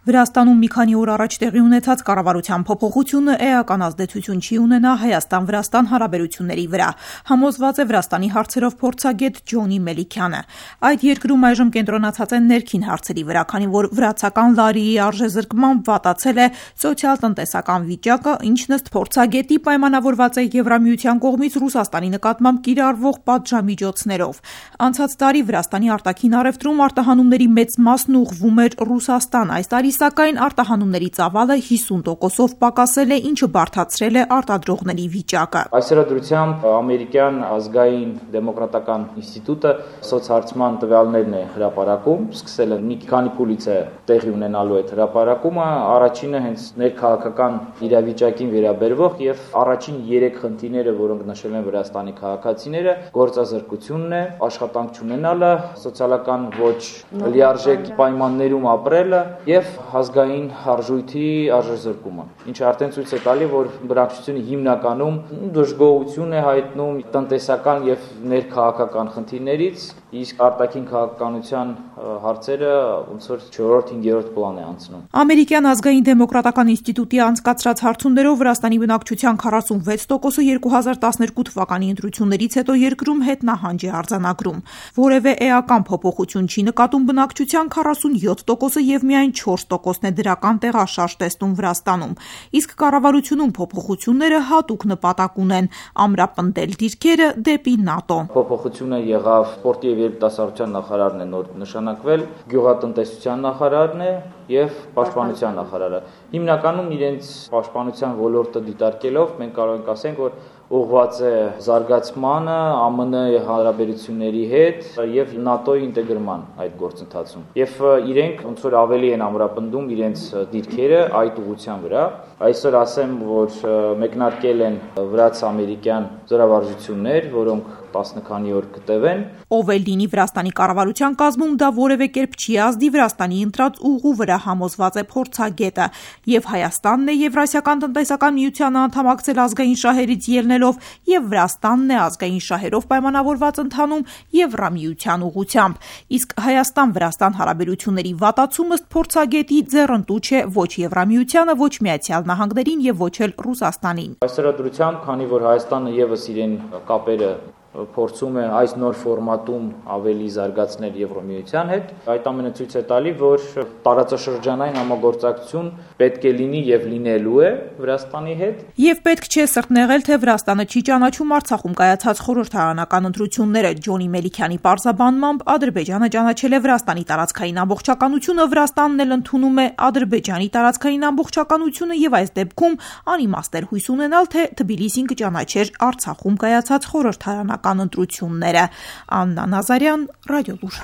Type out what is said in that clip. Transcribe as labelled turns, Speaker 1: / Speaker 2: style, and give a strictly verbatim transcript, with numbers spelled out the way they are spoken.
Speaker 1: Վրաստանում մի քանի օր առաջ տեղի ունեցած կառավարության փոփոխությունը էական ազդեցություն չի ունենա Հայաստան-Վրաստան հարաբերությունների վրա, համոզված է Վրաստանի հարցերով փորձագետ Ջոնի Մելիքյանը։ Այդ երկրում այժմ կենտրոնացած են ներքին հարցերի վրա, քանի որ վրացական լարիի արժեզրկմամբ վատացել է սոցիալ-տնտեսական վիճակը, ինչն ըստ փորձագետի պայմանավորված է Եվրամիության կողմից Ռուսաստանի նկատմամբ կիրառվող պատժամիջոցներով։ Անցած տարի Վրաստանի արտաքին առևտրում արտահանումների մեծ մասն ուղղվում էր Ռուսաստան, այս տարի սակայն արտահանումների ծավալը հիսուն տոկոսով պակասել է, ինչը բարդացրել է արտադրողների վիճակը։
Speaker 2: Այս հրադրությամբ ամերիկյան ազգային դեմոկրատական ինստիտուտը սոցհարցման տվյալներն է հրապարակում, սկսել է մի քանի փուլից է տեղի ունենալու այդ հրապարակումը, առաջինը հենց ներքաղաքական իրավիճակին վերաբերող եւ առաջին երեք խնդիրները, որոնք նշել են Վրաստանի քաղաքացիները, գործազրկությունն է, աշխատանք չունենալը, սոցիալական ոչ լիարժեք պայմաններում ապրելը եւ ազգային արժույթի արժեզրկումը, ինչը արդեն ցույց է տալի, որ բնակչությունը հիմնականում դժգոհություն է հայտնում տնտեսական եւ ներքաղաքական խնդիրներից, իսկ արտաքին քաղաքականության հարցերը ոնց որ չորրորդ հինգերորդ պլան է անցնում։
Speaker 1: Ամերիկյան ազգային դեմոկրատական ինստիտուտի անցկացրած հարցումներով Վրաստանի բնակչության քառասունվեց տոկոսը երկու հազար տասներկու թվականի ընտրություններից հետո երկրում հետնահանջ է արձանագրում։ Որևէ էական փոփոխություն չի նկատում բնակչության քառասունյոթ տոկոսը եւ միայն չորս տոկոսն է դրական տեղաշարժ տեսնում Վրաստանում, իսկ կառավարությունում փոփոխությունները հատուկ նպատակ ունեն ամրապնդել դիրքերը դեպի ՆԱՏՕ։
Speaker 2: Փոփոխությունը եղավ սպորտի եւ երիտասարդության նախարարն է նոր նշանակվել, գյուղատնտեսության նախարարն է եւ պաշտպանության նախարարը։ Հիմնականում իրենց պաշտպանության ոլորտը դիտարկելով մենք կարող ենք ասենք, որ ուղղված է զարգացմանը, ԱՄՆ հարաբերությունների հետ եւ ՆԱՏՕ-ի ինտեգրման այդ գործընթացում։ Եվ իրենք ոնց որ ավելի են ամրապնդում իրենց դիրքերը այդ ուղղության վրա։ Այսօր ասեմ, որ մեկնարկել են վրաց-ամերիկյան զորավարժություններ, որոնք տասը քանի օր կտևեն։
Speaker 1: Ով էլ լինի Վրաստանի կառավարության կազմում, դա որևէ կերպ չի ազդի Վրաստանի ընտրած ուղու վրա, համոզված է փորձագետը, եւ Հայաստանն է Եվրասիական տնտեսական միությանը անդամակցել ազգային շահերից ելնելով, եւ Վրաստանն է ազգային շահերով պայմանավորված ընթանում Եվրամիության ուղղությամբ։ Իսկ Հայաստան-Վրաստան հարաբերությունների վատացումը ըստ փորձագետի ձեռնտու չէ ոչ Եվրամիությանը, ոչ Միացյալ Նահանգներին եւ ոչ էլ Ռուսաստանին։
Speaker 2: Այս հրադրությամբ, քանի որ Հայաստանը եւս իրեն կապերը փորձում է այս նոր ֆորմատում ավելի զարգացնել Եվրամիության հետ, այդ ամենը ցույց է տալի, որ տարածաշրջանային համագործակցություն պետք է լինի եւ լինելու է Վրաստանի հետ։
Speaker 1: Եվ պետք չէ սրտնեղել, թե Վրաստանը չի ճանաչում Արցախում կայացած խորհրդարանական ընտրությունները։ Ջոնի Մելիքյանի պարզաբանմամբ Ադրբեջանը ճանաչել է Վրաստանի տարածքային ամբողջականությունը, Վրաստանն էլ ընդունում է Ադրբեջանի տարածքային ամբողջականությունը եւ այս դեպքում անիմաստ էր հույս ունենալ, թե Թբիլիսին կճանաչեր Արցախում կայացած խորհրդարանական ընտրությունները։ Աննա Նազարյան, Ռադիոլուր։